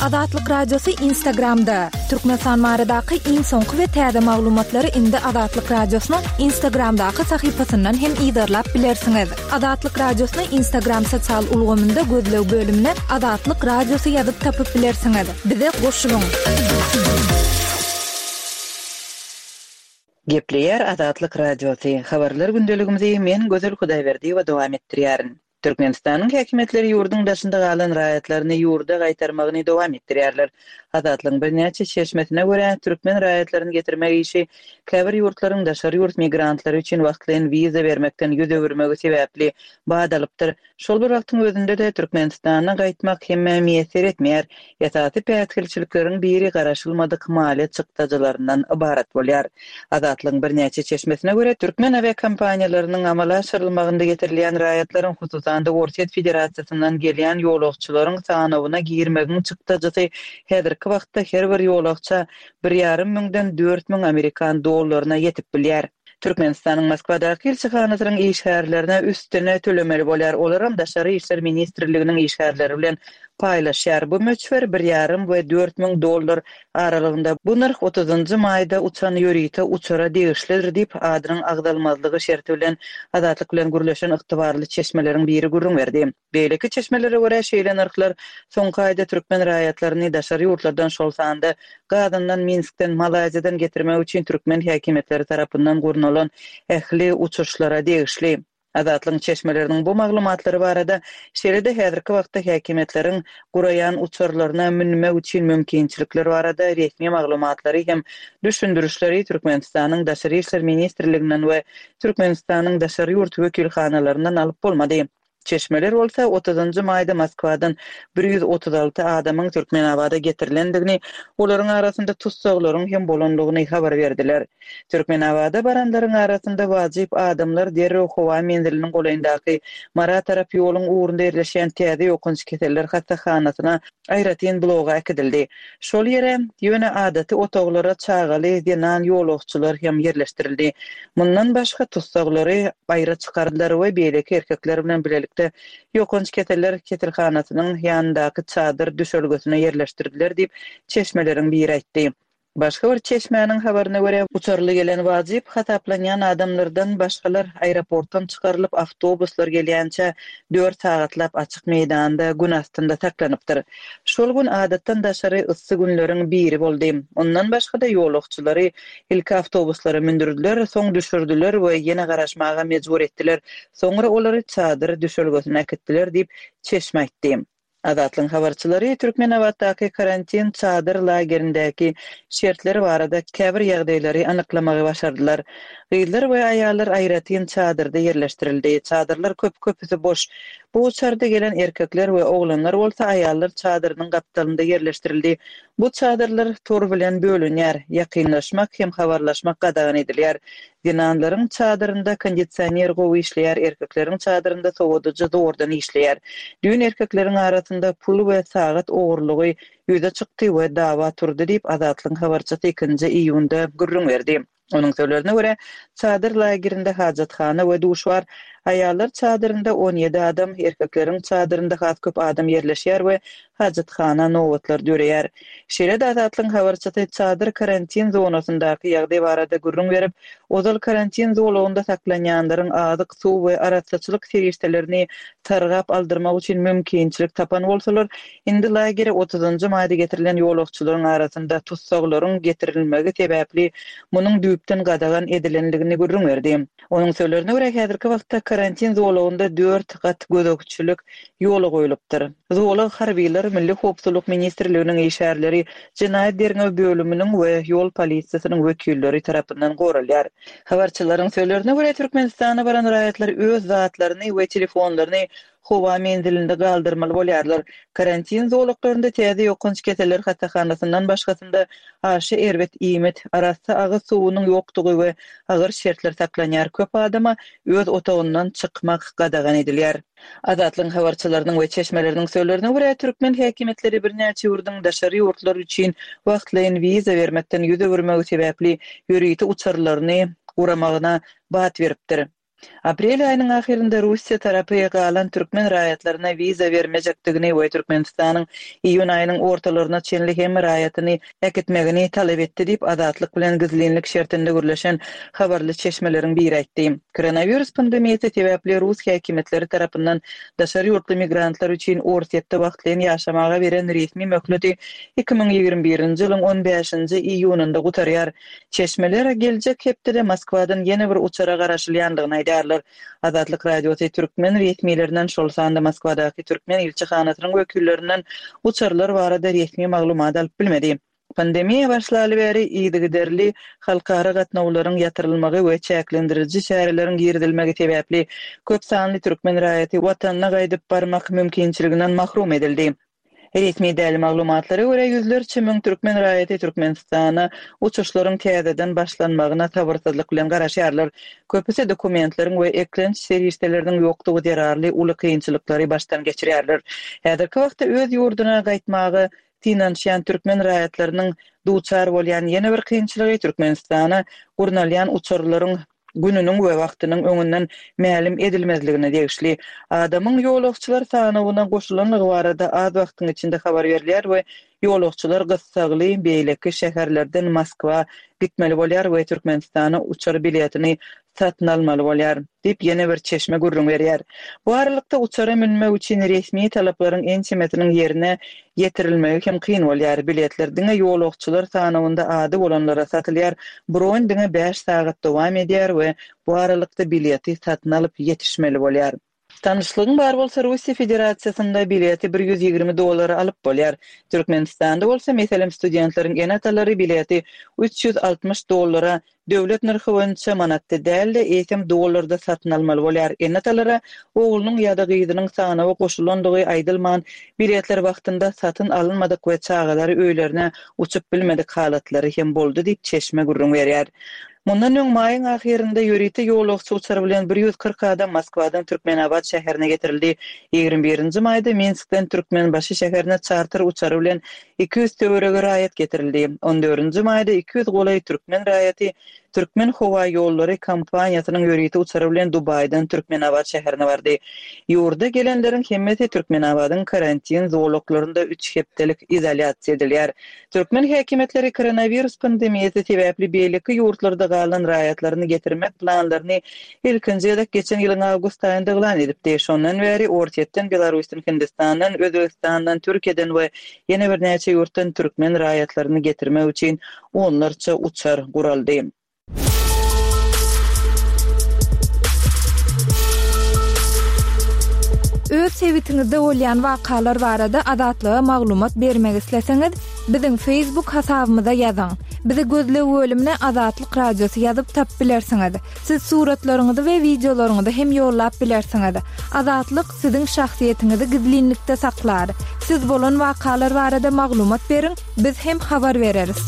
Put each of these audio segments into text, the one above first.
Azatlyk Radiosy Instagramda, Türkmenistan baradaky iň soňky we täze maglumatlary indi Azatlyk Radiosynyň Instagramdaky sahypasyndan hem yzarlap bilersiňiz. Azatlyk Radiosyny Instagram sosial ulgamynda gözleg bölümine Azatlyk Radiosy ýazyp tapyp bilersiňiz. Bize goşulyň! Gepleýär Azatlyk Radiosy, Habarlar gündeligimizi men Gözel Hudaýberdiýewa dowam etdirýärin. Türkmenistanyň häkimiýetleri ýurduň daşynda galan raýatlaryny ýurda gaýtarmagyny dowam etdirýärler. Azatlygyň birnäçe çeşmesine görä, türkmen raýatlaryny getirmek işi käbir ýurtlaryň daşary ýurt migrantlary üçin wagtlaýyn wiza bermekden ýüz öwürmegi sebäpli bat alypdyr. Şol bir wagtyň özünde-de, Türkmenistana gaýtmak hemmä miýesser etmeýär. Esasy päsgelçilikleriň biri garaşylmadyk maliýe çykdajylaryndan ybarat bolýar. Azatlygyň birnäçe çeşmesine görä, türkmen awiakompaniýalarynyň amala aşyrylmagynda getirilýän raýatlaryň, hususan-da Orsýet Federasiýasyndan gelýän ýolagçylaryň sanawyna girmegiň çykdajysy häzirki wagtda her bir ýolagça bir ýarym müňden 4000 amerikan dollaryna ýetip bilýär. Türkmenistanyň Moskwadaky ilçihanasynyň işgärlerine üstüne tölemeli bolýar, olaram Daşary işler ministrliginiň işgärleri bilen paýlaşýar. Bu möçber bir ýarym we 4000 dollar aralygynda. Bu nyrh otuzynjy maýda uçan ýörite uçara degişlidir diýip, adynyň agzalmazlygy şerti bilen Azatlyk bilen gürleşen ygtybarly çeşmeleriň biri gürrüň berdi. Beýleki çeşmelere görä, şeýle nyrhlar soňky aýda türkmen raýatlaryny daşary ýurtlardan, şol sanda Gazandan, Minskden, Malaýziýadan getirmek üçin türkmen häkimiýetleri tarapyndan gurnalan ähli uçuşlara degişli. Azatlygyň çeşmeleriniň bu maglumatlary barada, şeýle-de häzirki wagtda häkimiýetleriň guraýan uçarlaryna münmek üçin mümkinçilikler barada resmi maglumatlary hem düşündirişleri Türkmenistanyň Daşary işler ministrliginden we Türkmenistanyň daşary ýurt wekilhanalaryndan alyp bolmady. Çeşmeler bolsa otuzynjy maýda Moskwadan 136 adamyň Türkmenabada getirilendigini, olaryň arasynda tussaglaryň hem bolandygyny habar berdiler. Türkmenabada baranlaryň arasynda wajyp adamlar derrew howa menziliniň golaýyndaky Mara tarap ýoluň ugrunda ýerleşýän täze ýokanç keseller hassahanasyna aýratyn bloga äkidildi. Şol ýere, ýöne adaty otaglara çagaly zenan ýolagçylar hem ýerleşdirildi. Mundan başga tussaglary aýra çykardylar we beýleki erkekler bilen bilelikde ýokanç keseller keselhanasynyň ýanyndaky çadyr düşelgesine ýerleşdirdiler diýip, çeşmeleriň biri aýtdy. Başga bir çeşmäniň habaryna görä, uçarly gelen wajyp hasaplanýan adamlardan başgalar aeroportdan çykarylyp, awtobuslar gelýänçä dört sagatlap açyk meýdanda gün astynda saklanypdyr. Şol gün adatdan daşary yssy günleriň biri boldy. Ondan başga-da ýolagçylary ilki awtobuslara mündürdiler, soň düşürdiler we ýene garaşmaga mejbur etdiler. Soňra olary çadyr düşelgesine äkitdiler diýip, çeşme aýtdy. Azatlygyň habarçylary Türkmenabatdaky karantin çadyr lagerindäki şertler barada käbir ýagdaýlary anyklamagy başardylar. Gyzlar we aýallar aýratyn çadyrda ýerleşdirildi. Çadyrlar köp, köpüsi boş. Bu uçarda gelen erkekler we oglanlar bolsa aýallar çadyrynyň gapdalynda ýerleşdirildi. Bu çadyrlar tor bilen bölünýär, ýakynlaşmak hem habarlaşmak gadagan edilýär. Zenanlaryň çadyrynda kondisioner gowy işleýär, erkekleriň çadyrynda sowadyjy zordan işleýär. Düýn erkekleriň arasynda pul we sagat ogurlygy ýüze çykdy we dawa turdy diýip, Azatlygyň habarçysy ikinji iýunda gürrüň berdi. Onuň sözlerine görä, çadyr lagerinde hajathana we duş bar. Aýallar çadyrynda 17 adam, erkekleriň çadyrynda has köp adam ýerleşýär we hajathana nobatlar döreýär. Şeýle-de Azatlygyň habarçysy çadyr karantin zonasyndaky ýagdaý barada gürrüň berip, ozal karantin zolagynda saklanýanlaryň azyk, suw we arassaçylyk serişdelerini sargap aldyrmak üçin mümkinçilik tapan bolsalar, indi lagere otuzynjy maýda getirilen ýolagçylaryň arasynda tussaglaryň getirilmegi sebäpli munuň düýpden gadagan edilendigini gürrüň berdi. Onuň sözlerine görä, häzirki wagtda karantin zolagynda dört gat gözegçilik ýola goýlupdyr. Zolak harbylar, Milli howpsuzlyk ministrliginiň işgärleri, jenaýat derňew bölüminiň we ýol polisiýasynyň wekilleri tarapyndan goralýar. Habarçylaryň sözlerine görä, Türkmenistana baran raýatlar öz zatlaryny we telefonlaryny howa menzilinde galdyrmaly bolýarlar. Karantin zolaklarynda täze ýokanç keseller hassahanasyndan başgasynda aşa erbet iýmit, arassa agyz suwunyň ýokdugy we agyr şertler saklanýar, köp adama öz otagyndan çykmak gadagan edilýär. Azatlygyň habarçylarynyň we çeşmeleriniň sözlerine görä, türkmen häkimiýetleri birnäçe ýurduň daşary ýurtlar üçin wagtlaýyn wiza bermekden ýüz öwürmegi sebäpli ýörite uçarlaryny guramagyna bat beripdir. Aprel aýynyň ahyrynda Russiýa tarapy galan türkmen raýatlaryna wiza bermejekdigini we Türkmenistanyň iýun aýynyň ortalaryna çenli hemme raýatyny äkitmegini talap etdi diýip, Azatlyk bilen gizlinlik şertinde gürleşen habarly çeşmeleriň biri aýtdy. Koronawirus pandemiýasy sebäpli rus häkimiýetleri tarapyndan daşary ýurtly migrantlar üçin Orsýetde wagtlaýyn ýaşamaga beren resmi möhleti 2021-nji ýylyň on bäşinji iýunynda gutarýar. Çeşmeler geljek hepdede Moskwadan ýene bir uçara garaşylýandygyny aýdýarlar. Azatlyk Radiosy türkmen resmilerinden, şol sanda Moskwadaky türkmen ilçihanasynyň wekillerinden uçarlar barada resmi maglumat alyp bilmedi. Pandemiýa başlaly bäri yzygiderli halkara gatnawlaryň ýatyrylmagy we çäklendiriji çäreleriň girizilmegi sebäpli köp sanly türkmen raýaty watanyna gaýdyp barmak mümkinçiliginden mahrum edildi. Resmi däl maglumatlara görä, ýüzlerçe müň türkmen raýaty Türkmenistana uçuşlaryň täzeden başlanmagyna sabyrsyzlyk bilen garaşýarlar. Köpüsi dokumentleriň we eklenç serişdeleriniň ýokdugy zerarly uly kynçylyklary başdan geçirýärler. Häzirki wagtda öz ýurduna gaýtmaga synanyşýan türkmen raýatlarynyň duçar bolýan ýene bir kynçylygy Türkmenistana gurnalýan uçarlaryň gününiň we wagtynyň öňünden mälim edilmezligine degişli. Adamyň ýolagçylar sanawyna goşulandygy barada az wagtyň içinde habar berilýär we ýolagçylar gyssagly beýleki şäherlerden Moskwa gitmeli bolýar we Türkmenistana uçar biletini satyn almaly bolýar, diýip, ýene bir çeşme gürrüň berýär. Bu aralykda, uçara münmek üçin resmi talaplaryň ençemesiniň ýerine ýetirilmegi hem kyn bolýar. Biletler diňe ýolagçylar sanawynda ady bolanlara satylýar, bron diňe bäş sagat dowam edýär we bu aralykda bileti satyn alyp ýetişmeli bolýar. Tanyşlygyň bar bolsa Russiýa Federasiýasynda bileti 120 dollara alyp bolýar. Türkmenistanda bolsa, meselem, studentleriň ene-atalary bileti 360 dollara, döwlet nyrhy boýunça manatda däl-de, eýsem dollarda satyn almaly bolýar. Ene-atalara oglunyň ýa-da gyzynyň sanawa goşulandygy aýdylman, biletler wagtynda satyn alynmadyk we çagalary öýlerine uçup bilmedik halatlary hem boldy diýip, çeşme gürrüň berýär. Mundan öň, maýyň ahyrynda ýörite ýolagçy uçary bilen 140 adam Moskwadan Türkmenabat şäherine getirildi. Ýigrimi birinji maýda Minskden Türkmenbaşy şäherine çarter uçary bilen 200 töweregi raýat getirildi. On dördünji maýda 200 golaý türkmen raýaty Türkmenhowaýollary kompaniýasynyň ýörite uçary bilen Dubaýdan Türkmenabat şäherine bardy. Ýurda gelenleriň hemmesi Türkmenabadyň karantin zolaklarynda üç hepdelik izolýasiýa edilýär. Türkmen häkimiýetleri koronawirus pandemiýasy sebäpli beýleki ýurtlarda galan raýatlaryny getirmek planlaryny ilkinji gezek geçen ýylyň awgust aýynda yglan edipdi. Şondan bäri Orsýetden, Belarusdan, Hindistandan, Özbegistandan, Türkiýeden we ýene birnäçe ýurtdan türkmen raýatlaryny getirmek üçin onlarça uçar guraldy. Öz sebitiňizde bolýan wakalar barada Azatlyga maglumat bermek isleseňiz, biziň Facebook hasabymyza ýazyň. Bizi gözleg bölümine Azatlyk Radiosy ýazyp tapyp bilersiňiz. Siz suratlaryňyzy we wideolaryňyzy hem ýollap bilersiňiz. Azatlyk siziň şahsyýetiňizi gizlinlikde saklar. Siz bolan wakalar barada maglumat beriň, Biz hem habar bereris.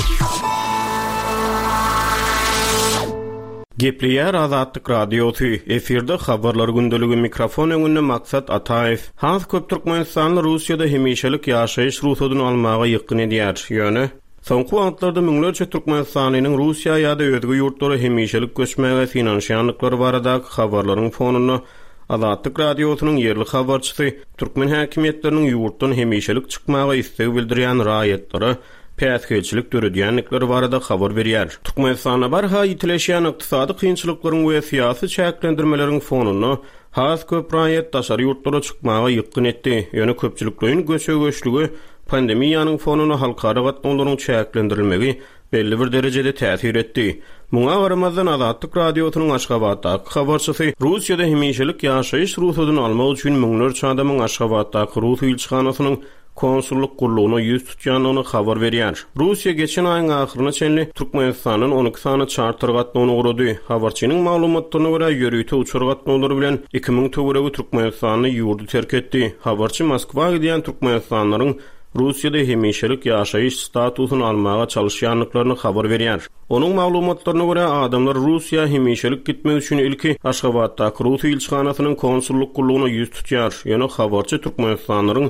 Gepleýär Azatlyk Radiosy, efirde Habarlar gündeligi, mikrofon öňünde Maksat Ataýew. Has köp türkmenistanly Russiýada hemişelik ýaşaýyş rugsadyny almaga ýykgyn edýär. Ýöne, soňky wagtlarda müňlerçe türkmenistanlynyň Russiýa ýa-da özge ýurtlara hemişelik göçmäge synanyşýandyklary baradaky habarlaryň fonunda Azatlyk Radiosynyň ýerli habarçysy türkmen häkimiýetleriniň ýurtdan hemişelik çykmaga isleg bildirýän raýatlara päsgelçilik döredýändikleri barada habar berýär. Türkmenistanda barha ýitileşýän ykdysady kynçylyklaryň we syýasy çäklendirmeleriň fonunda has köp raýat daşary ýurtlara çykmaga ýykgyn etdi. Ýöne köpçülikleýin göçe-göçlüge pandemiýanyň fonunda halkara gatnawlaryň çäklendirilmegi belli bir derejede täsir etdi. Muňa garamazdan, Azatlyk Radiosynyň Aşgabatdaky habarçysy Russiýada hemişelik ýaşaýyş rugsadyny almak üçin müňlerçe adamyň Aşgabatdaky rus ilçihanasynyň konsullyk gullugyna ýüz tutýandygyny habar berýär. Russiýa geçen aýyň ahyryna çenli Türkmenistandan 12 sany çarter gatnawyny gurady. Habarçynyň maglumatlaryna görä, ýörite uçar gatnawlary bilen 2000 töweregi türkmenistanly ýurdy terk etdi. Habarçy Moskwa gidýän türkmenistanlylaryň Russiýada hemişelik ýaşaýyş statusyny almaga çalyşýandyklaryny habar berýär. Onuň maglumatlaryna görä, adamlar Russiýa hemişelik gitmek üçin ilki Aşgabatdaky rus ilçihanasynyň konsullyk gullugyna ýüz tutýar. Ýöne habarçy türkmenistanlylaryň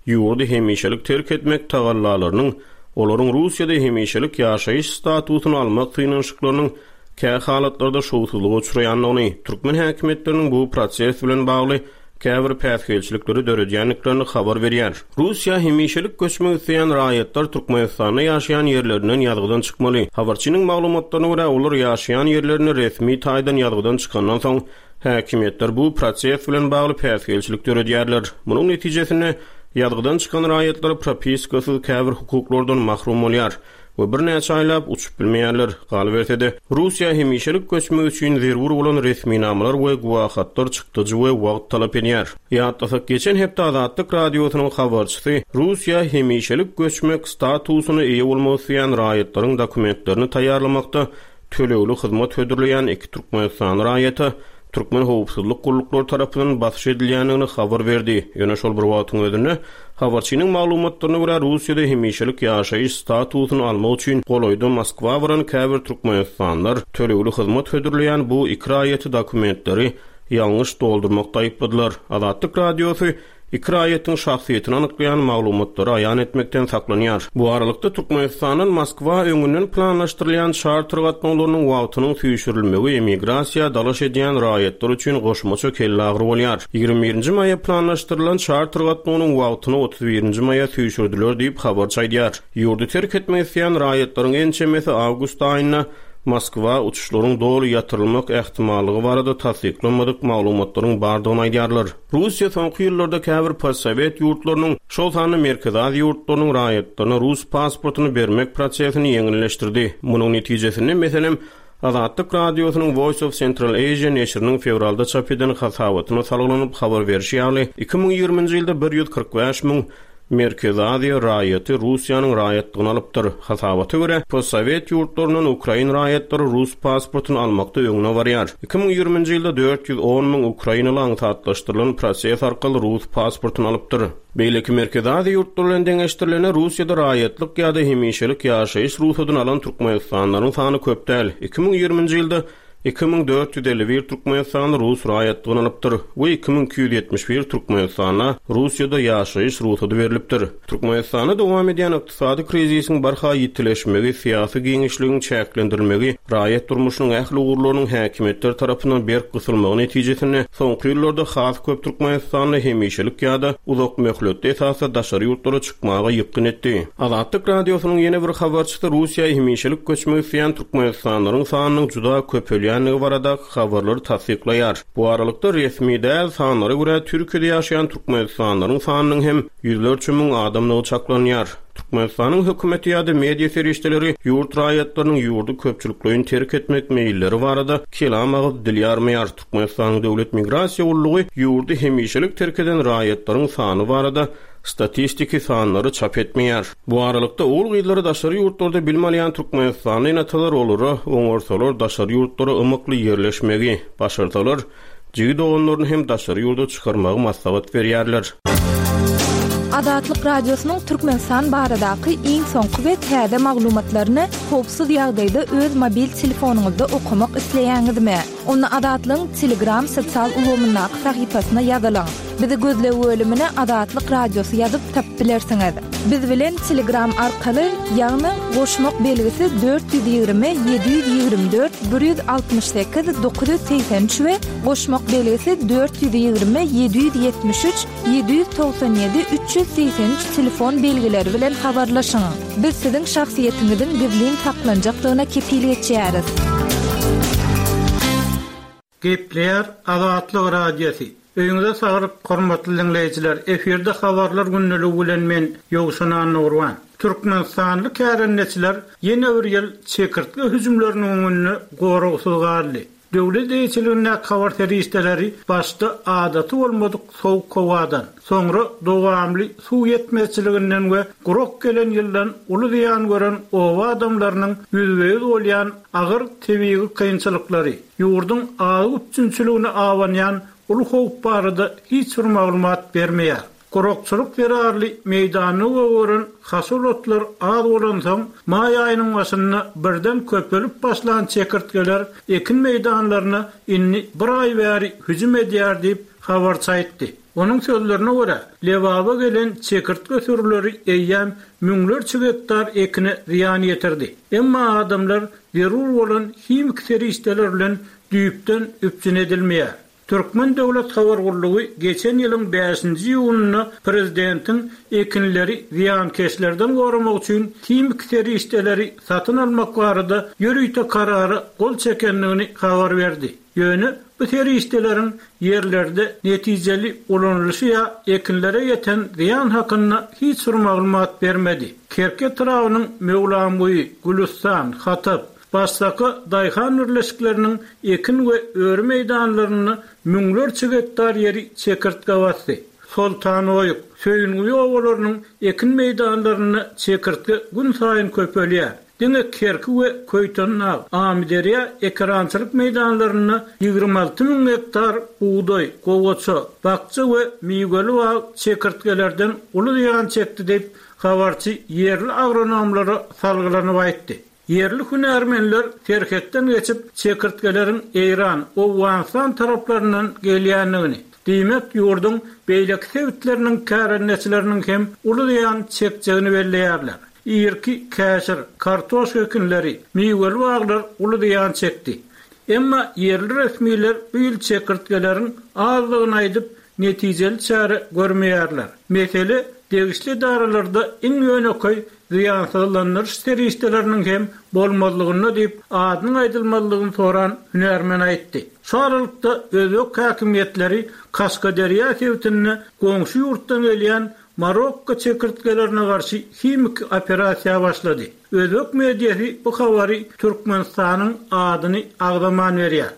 ýurdy hemişelik terk etmek tagallalarynyň olaryň Russiýada hemişelik ýaşaýyş statusyny almak synanyşyklarynyň. kä halatlarda şowsuzlyga uçraýandygyny, türkmen häkimiýetleriniň bu proses bilen bagly käbir päsgelçilikleri döredýändiklerini habar berýär. Russiýa hemişelik göçmek isleýän raýatlar Türkmenistanda ýaşaýan ýerlerinden ýazgydan çykmaly. Habarçynyň maglumatlaryna görä, olar ýaşaýan ýerlerinde resmi taýdan ýazgydan çykandan soň, häkimiýetler bu proses bilen bagly päsgelçilik döredýärler. Munuň netijesinde, ýazgydan çykan raýatlar propiskasyz käbir hukuklardan mahrum bolýar. We birnäçe aýlap uçup bilmeýärler. Galyberse-de, Russiýa hemişelik göçmek üçin zerur bolan resminamalar we güwähatlar çykdajy we wagt talap edýär. Ýatlasak, geçen hepde Azatlyk Radiosynyň habarçysy Russiýa hemişelik göçmek statusyna eýe bolmak isleýän raýatlaryň dokumentlerini taýýarlamakda tölegli hyzmat hödürleýän iki türkmenistanly raýata türkmen howpsuzlyk gulluklary tarapyndan basyş edilýändigini habar berdi. Ýöne şol bir wagtyň özünde, habarçynyň maglumatlaryna görä, Russiýada hemişelik ýaşaýyş statusyny almak üçin golaýda Moskwa baran käbir türkmenistanlylar tölegli hyzmat hödürleýän bu iki raýaty dokumentleri ýalňyş doldurmakda aýypladylar. Azatlyk Radiosy Iki raýatyň şahsyýetini anyklaýan maglumatlary aýan etmekden saklanýar. Bu aralykda, Türkmenistandan Moskwa öňünden planlaşdyrylýan çarter gatnawlarynyň wagtynyň süýşürilmegi emigrasiýa dalaş edýän raýatlar üçin goşmaça kelleagyry bolýar. Ýigrimi birinji maýa planlaşdyrylan çarter gatnawynyň wagtyny otuz birinji maýa süýşürdiler diýip, habarçy aýdýar. Ýurdy terk etmek isleýän raýatlaryň ençemesi awgust aýynda Moskwa uçuşlaryň doly ýatyrylmak ähtimallygy barada tassyklanmadyk maglumatlaryň bardygyny aýdýarlar. Russiýa soňky ýyllarda käbir postsowet ýurtlarynyň, şol sanda Merkezi Aziýa ýurtlarynyň raýatlaryna rus pasportyny bermek prosesini ýeňilleşdirdi. Munuň netijesinde, meselem, Azatlyk Radiosynyň Voice of Central Asia neşiriniň fewralda çap eden hasabatyna salgylanyp habar berşi ýaly, 2020-nji ýylda 145 müň Merkezi Aziýa raýaty Russiýanyň raýatlygyny alypdyr. Hasabata görä, postsowet ýurtlaryndan ukrain raýatlary rus pasportyny almakda öňde barýar. 2020-nji ýylda 410 müň ukrainaly aňsatlaşdyrylan proses arkaly rus pasportyny alypdyr. Beýleki Merkezi Aziýa ýurtlary bilen deňeşdirilende, Russiýada raýatlyk ýa-da hemişelik ýaşaýyş rugsadyny alan türkmenistanlylaryň sany köp däl. 2020-nji ýylda 2451 türkmenistanly rus raýatlygyny alypdyr we 2271 türkmenistana Russiýada ýaşaýyş rugsady berlipdir. Türkmenistanda dowam edýän ykdysady krizisiň barha ýitileşmegi, syýasy giňişligiň çäklendirilmegi, raýat durmuşynyň ähli ugurlarynyň häkimiýetler tarapyndan berk gysylmagy netijesinde soňky ýyllarda has köp türkmenistanly hemişelik ýa-da uzak möhletli esasda daşary ýurtlara çykmaga ýykgyn etdi. Azatlyk Radiosynyň ýene bir habarçysy Russiýa hemişelik göçmek isleýän türkmenistanlylaryň sanynyň juda köpelýändigi baradaky habarlary tassyklaýar. Bu aralykda, resmi däl sanlara görä, Türkiýede ýaşaýan türkmenistanlylaryň sanynyň hem ýüzlerçe müň adamdygy çaklanýar. Türkmenistanyň hökümeti ýa-da media serişdeleri ýurt raýatlarynyň ýurdy köpçülikleýin terk etmek meýilleri barada kelam agyz dil ýarmaýar. Türkmenistanyň Döwlet migrasiýa gullugy ýurdy hemişelik terk eden raýatlaryň sany barada statistiki sanlary çap etmeýär. Bu aralykda, ogul-gyzlary daşary ýurtlarda bilim alýan türkmenistanly ene-atalar olara oňarsalar daşary ýurtlara ymykly ýerleşmegi, başarsalar, jigi-doganlaryny hem daşary ýurda çykarmagy maslahat berýärler. Azatlyk Radiosynyň Türkmenistan baradaky iň soňky we täze maglumatlaryny howpsuz ýagdaýda öz mobil telefonyňyzda okamak isleýäňizmi? Onda Azatlygyň Telegram sosial ulgamyndaky sahypasyna ýazylyň. Bizi gözleg bölümine Azatlyk Radiosy ýazyp tapyp bilersiňiz. Biz bilen Telegram arkaly, ýagny goşmak belgisi 420 724 168 983 we goşmak belgisi 420 773 797 383 telefon belgileri bilen habarlaşyň. Biz siziň şahsyýetiňiziň gizlin saklanjakdygyna kepil geçýäris. Gepleýär Azatlyk Radiosy. Öýüňize saglyk hormatly diňleýjiler! Efirde habarlar gündeligi bilen men Ýowşan Annagurban. Türkmenistanly kärendeçiler ýene bir ýyl çekirtge hüjümleriniň öňünde goragsyz galdy. Döwlet eýeçiligindäki habar serişdeleri başda adaty bolmadyk sowuk howadan, soňra dowamly suw ýetmezçiliginden we gurak gelen ýyldan uly zyýan gören oba adamlarynyň ýüzbe-ýüz bolýan agyr tebigy kynçylyklary, ýurduň azyk üpjünçiligine abanýan uly howp barada hiç bir maglumat bermeýär. Gurakçylyk zerarly meýdanda gögeren haşal otlar az bolansoň, maý aýynyň başynda birden köpelip başlan çekirtgeler ekin meýdanlaryna indi bir aý bäri hüjüm edýär diýip, habarçy aýtdy. Onuň sözlerine görä, Lebaba gelen çekirtge sürüleri eýýäm müňlerçe gektar ekine zyýan ýetirdi. Emma adamlar zerur bolan himiki serişdeler bilen düýpden üpjün edilmeýär. Türkmen döwlet habar gullugy geçen ýylyň bäşinji iýunynda prezidentiň ekinleri zyýankeşlerden goramak üçin himiki serişdeleri satyn almak barada ýörite karara gol çekendigini habar berdi. Ýöne bu serişdeleriň ýerlerde netijeli ulanylyşy ýa ekinlere ýeten zyýan hakynda hiç bir maglumat bermedi. Kerki etrabynyň Möwlamguýy, Gülüstan, Hatap, Başsaka daýhan birleşikleriniň ekin we öri meýdanlarynda müňlerçe gektar ýeri çekirtge basdy. Soltanoýuk, Söýünguýy obalarynyň ekin meýdanlarynda çekirtge günsaýyn köpelýär. Diňe Kerki we Köýtendag, Amyderýa ekerançylyk meýdanlarynda 26 müň gektar bugdaý, gowaça, bakja we miweli bag çekirtgelerden uly zyýan çekdi diýip, habarçy ýerli agronomlara salgylanyp aýtdy. Ýerli hünärmenler serhetden geçip, çekirtgeleriň Eýran, Owganystan taraplaryndan gelýändigini, diýmek, ýurduň beýleki sebitleriniň kärendeçileriniň hem uly zyýan çekjegini belleýärler. Irki käşir, kartoşka ekinleri, miweli baglar uly zyýan çekdi. Emma ýerli resmiler bu ýyl çekirtgeleriň azdygyny aýdyp, netijeli çäre görmeýärler. Mesele degişli edaralarda iň ýönekeý zyýansyzlandyryş serişdeleriniň hem bolmazlygynda diýip, adynyň aýdylmazlygyny soran hünärmen aýtdy. Şu aralykda, özbek häkimiýetleri Kaşgaderýa sebitinde goňşy ýurtdan gelýän Marokko çekirtgelerine garşy himiki operasiýa başlady. Özbek mediasy bu habary Türkmenistanyň adyny agzaman berýär.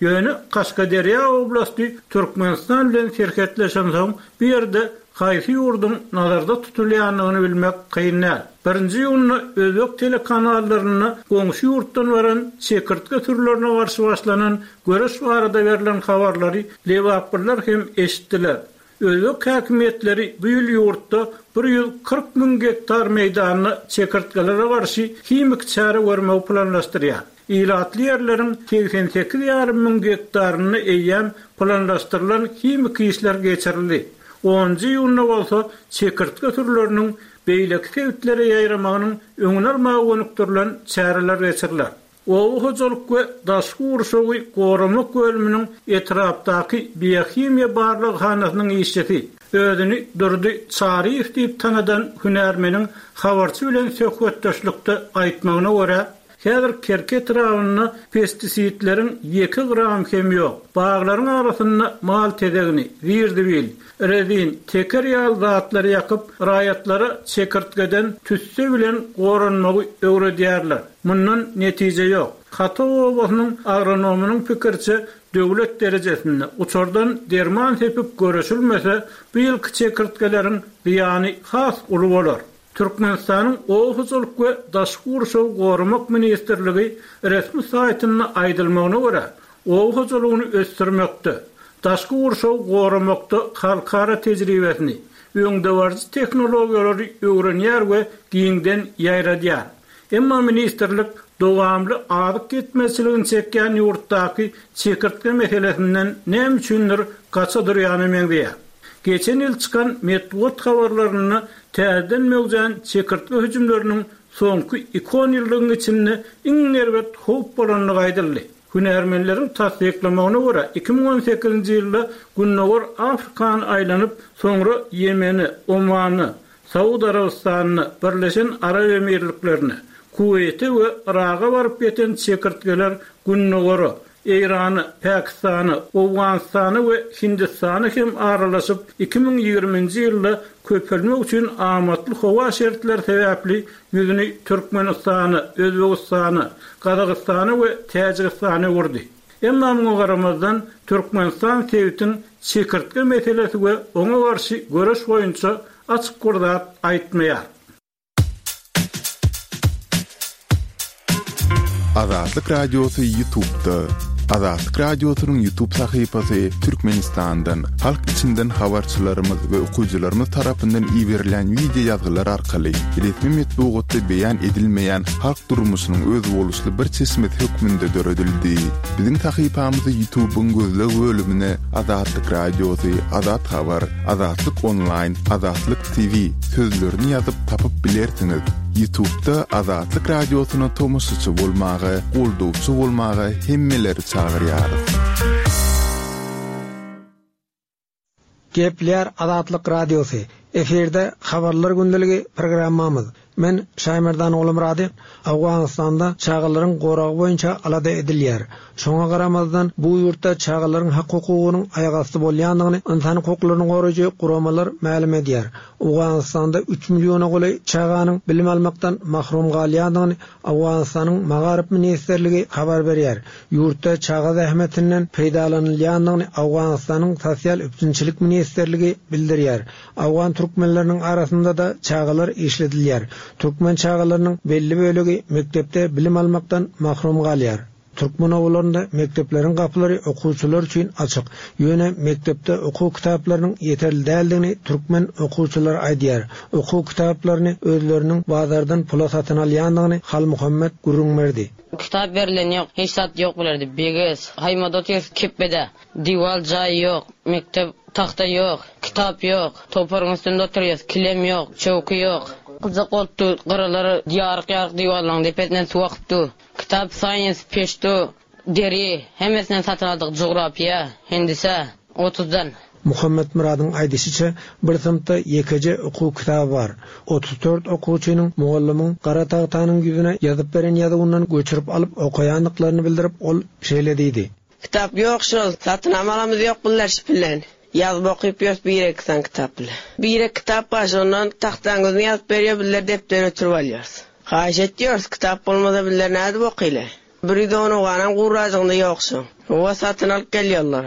Ýöne Kaşgaderýa oblasty Türkmenistan bilen serhetleşensoň, bu ýerde haýsy ýurduň nazarda tutulýandygyny bilmek kyn däl. Birinji iýunda özbek telekanallarynda goňşy ýurtdan baran çekirtge sürülerine garşy başlanan göreş barada berlen habarlary lebaplylar hem eşitdiler. Özbek häkimiýetleri bu ýyl ýurtda 140 müň gektar meýdanda çekirtgelere garşy himiki çäre görmegi planlaşdyrýar. Ilatly ýerleriň 88 ýarym müň gektarynda eýýäm planlaşdyrylan himiki işler geçirildi. Onunjy iýunda bolsa çekirtge sürüleriniň beýleki sebitlere ýaýramagynyň öňüni almaga gönükdirilen çäreler geçiriler. Oba hojalyk we daşky gurşawy goramak bölüminiň etrapdaky biohimiýa barlaghanasynyň işçisi, özüni Durdy Çaryýew diýip tanadan hünärmeniň habarçy bilen söhbetdeşlikde aýtmagyna görä, häzir Kerki etrabynda pestisidleriň ýeke gramy hem ýok. Baglaryň arasynda mal tezegini, zir-zibil, rezin, teker ýaly zatlary ýakyp, raýatlara çekirtgeden tüsse bilen goranmagy öwredýärler. Mundan netije ýok. Hata obasynyň agronomynyň pikiriçe, döwlet derejesinde uçardan derman sepip göreşilmese, bu ýylky çekirtgeleriň zyýany has uly bolar. Türkmenistanyň Oba hojalyk we daşky gurşawy goramak ministrligi resmi saýtynda aýdylmagyna görä, oba hojalygyny ösdürmekde, daşky gurşawy goramakda halkara tejribesini, öňdebaryjy tehnologiýalary öwrenýär we giňden ýaýradýar. Emma ministrlik dowamly azyk ýetmezçiligini çekýän ýurtdaky çekirtge meselesinden näme üçindir gaça durýana meňzeýär. Geçen ýyl çykan metbugat habarlarynda täzeden möwjän çekirtge hüjümleriniň soňky iki onýyllygyň içinde iň erbet howp bolandygy aýdyldy. Hünärmenleriň tassyklamagyna görä, 2018-nji ýylda Gündogar Afrikany aýlanyp, soňra Ýemene, Omana, Saud Arabystanyna, Birleşen Arap Emirliklerine, Kuweýte we Yraga baryp ýeten çekirtgeler Gündogara, Eýrana, Pakistana, Owganystana we Hindistana hem aralaşyp, 2020-nji ýylda köpelmek üçin amatly howa şertleri sebäpli ýüzüni Türkmenistana, Özbegistana, Gazagystana we Täjigistana öwürdi. Emma muňa garamazdan, Türkmenistan sebitiň çekirtge meselesi we oňa garşy göreş boýunça açyk bir zat aýtmaýar. Azatlyk Radiosy Ýutubda. Azatlyk Radiosynyň YouTube sahypasy Türkmenistandan, halk içinden habarçylarymyz we okyjylarymyz tarapyndan iberilýän wideo ýazgylar arkaly resmi metbugatda beýan edilmeýän halk durmuşynyň özboluşly bir çeşmesi hökmünde döredildi. Biziň sahypamyzy YouTube-yň gözleg bölümine Azatlyk Radiosy, Azat Habar, Azatlyk Onlaýn, Azatlyk TV sözlerini ýazyp tapyp bilersiňiz. Ýutubda Azatlyk Radiosyna tomaşaçy bolmaga, goldawçy bolmaga hemmeleri çagyrýarys. Gepleýär Azatlyk Radiosy, Efirde Habarlar gündeligi programmamyz. Men Şaýmerdan Ogulmyrady. Owganystanda çagalaryň goragy boýunça alada edilýär. Şoňa garamazdan, bu ýurtda çagalaryň hak-hukugynyň aýagasty bolýandygyny ynsan hukuklaryny goraýjy guramalar mälim edýär. Owganystanda üç milliona golaý çaganyň bilim almakdan mahrum galýandygyny Owganystanyň Magaryf ministrligi habar berýär. Ýurtda çaga zähmetinden peýdalanylýandygyny Owganystanyň Sosial üpjünçilik ministrligi bildirýär. Owgan türkmenleriniň arasynda-da çagalar işledilýär. Türkmen çagalarynyň belli bölegi mekdepde bilim almakdan mahrum galýar. Türkmen obalarynda mekdepleriň gapylary okuwçylar üçin açyk. Ýöne mekdepde okuw kitaplarynyň ýeterli däldigini türkmen okuwçylary aýdýar. Okuw kitaplaryny özleriniň bazardan pula satyn alýandygyny Halmuhammet gürrüň berdi. Kitap berlen ýok, hiç zat ýok bularda, beges, haýmada otyrys kepbede. Diwal jaý ýok, mekdep tagta ýok, kitap ýok, topragyň üstünde oturýas, kilem ýok, çöwki ýok. Gyjak bolup dur, gyralar ýaryk-ýaryk diwallaryň depesinden suw akyp dur. Kitap science, peşto, deri, hemmesinden satyn aldyk, jugrapiýa, hendise, otuzdan. Muhammetmyradyň aýdyşyça, bir synpda ýekeje okuw kitaby bar. 34 okuwçynyň mugallymyň gara tagtanyň ýüzüne ýazyp beren ýazuwyndan göçürip alyp okaýandyklaryny bildirip, ol şeýle diýdi. Kitap ýok şol, satynam alamyz ýok birleşip bilen. Ýazyp okyp ýörüs bir-iki sany kitap bilen. Bir-iki kitap bar şondan tagtaň ýüzüne ýazyp berýär bizler depderi öçürip alýarys. Haýyş etýäris kitap bolmasa bizler nädip okyly. 110 oganam gurrajygynda ýok şoň. Howa satyn alyp gelýärler.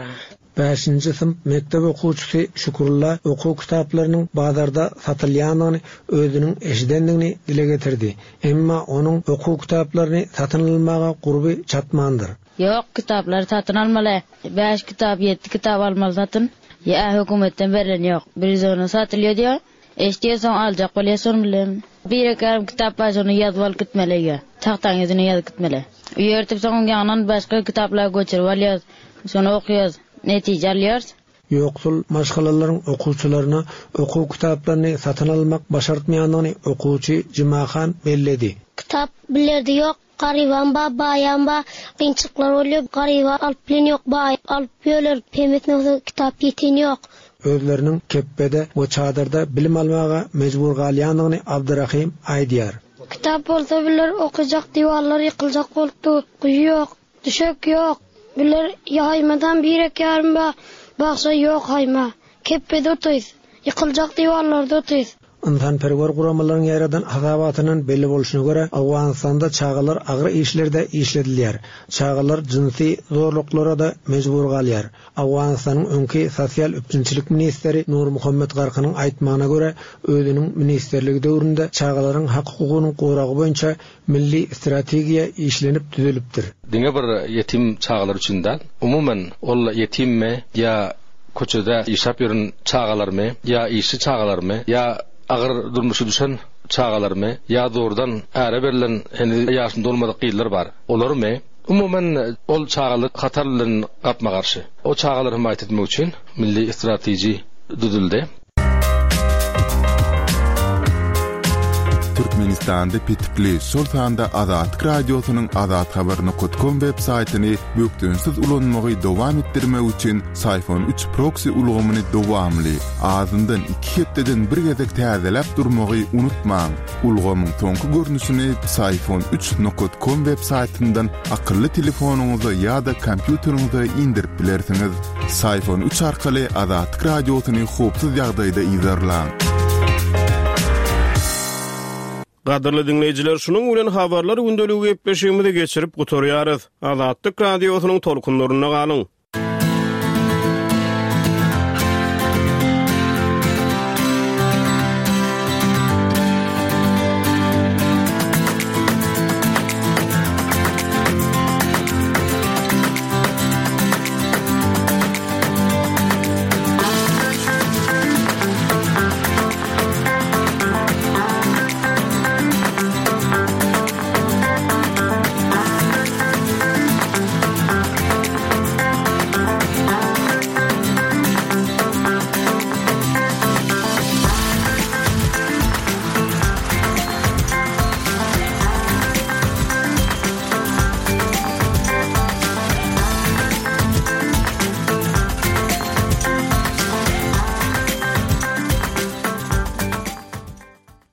Bäşinji synp mekdep okuwçysy Şükrulla okuw kitaplarynyň bazarda satylýandygyny özüniň eşidendigini dile getirdi. Emma onuň okuw kitaplaryny satyn almaga gurby çatmandyr. Ýok, kitaplary satyn almaly. Bäş kitap, ýetdi kitap almaly satyn. Ýa hökümetden berlen ýok. 110-a satylýar diýýär. Eşidýär soň aljak bolýar şony bilen. Bir-iki ýarym kitap bar şony ýazyp alyp gitmeli öýe. Tagtaň ýüzüne ýazyp gitmeli. Öýe ertip soň oň ýanyndan başga kitaplary göçürip alýarys. Şony okaýarys. Netije alýarys. Ýoksul maşgalalaryň okuwçylaryna okuw kitaplaryny satyn almak başartmaýandygyny okuwçy Jumahan belledi. Kitap bilerde ýok. Garybam ba, baýam ba, kynçylyklar bolýar. Garyba alyp bilen ýok, baý alyp ýörler. Hemmesine bolsa kitap ýeten ýok. Özleriniň kepbede we çadyrda bilim almaga mejbur galýandygyny Abdyrahym aýdýar. Kitap bolsa biler okajak diwarlar ýykyljak bolup dur. Guýy ýok, düşek ýok. Biler ýaýmadan birek ýarym ba, bagşa ýok haýma. Kepbede otyrys. Ýykyljak diwarlarda otyrys. Ynsanperwer guramalaryň ýaýradan hasabatyndan belli bolşuna görä, Owganystanda çagalar agyr işlerde işledilýär. Çagalar jynsy zorluklara-da mejbur galýar. Owganystanyň öňki sosial üpjünçilik ministri Nurmuhammet Garkynyň aýtmagyna görä, özüniň ministrligi döwründe çagalaryň hak-hukugynyň goragy boýunça milli strategiýa işlenip düzülipdir. Diňe bir ýetim çagalar üçin däl, umuman, ol ýetimmi ýa köçede işläp ýören çagalarmy, ýa işçi çagalarmy, ýa agyr durmuşa düşen çagalarmy, ýa zordan äre berlen heniz ýaşyny dolmadyk gyzlar bar, olarmy, umuman, ol çagalar hatar bilen gapma-garşy. O çagalary hemaýat etmek üçin milli strateji düzüldi. Türkmenistanda petikli, şol sanda Azatlyk Radiosynyň azathabar nokat kom web saýtyny bökdençsiz ulanmagy dowam etdirmek üçin Syfon üç proksi ulgamyny dowamly, azyndan iki hepdeden bir gezek täzeläp durmagy unutmaň. Ulgamyň soňky görnüşini Syfon üç nokat kom web saýtyndan akylly telefonyňyza ýa-da kompýuteriňize indirip bilersiňiz. Syfon üç arkaly Azatlyk Radiosyny howpsuz ýagdaýda yzarlaň. Gadyrly diňleýjiler, şunuň bilen Habarlar gündeligi gepleşigimizi geçirip gutarýarys. Azatlyk Radiosynyň tolkunlarynda galyň!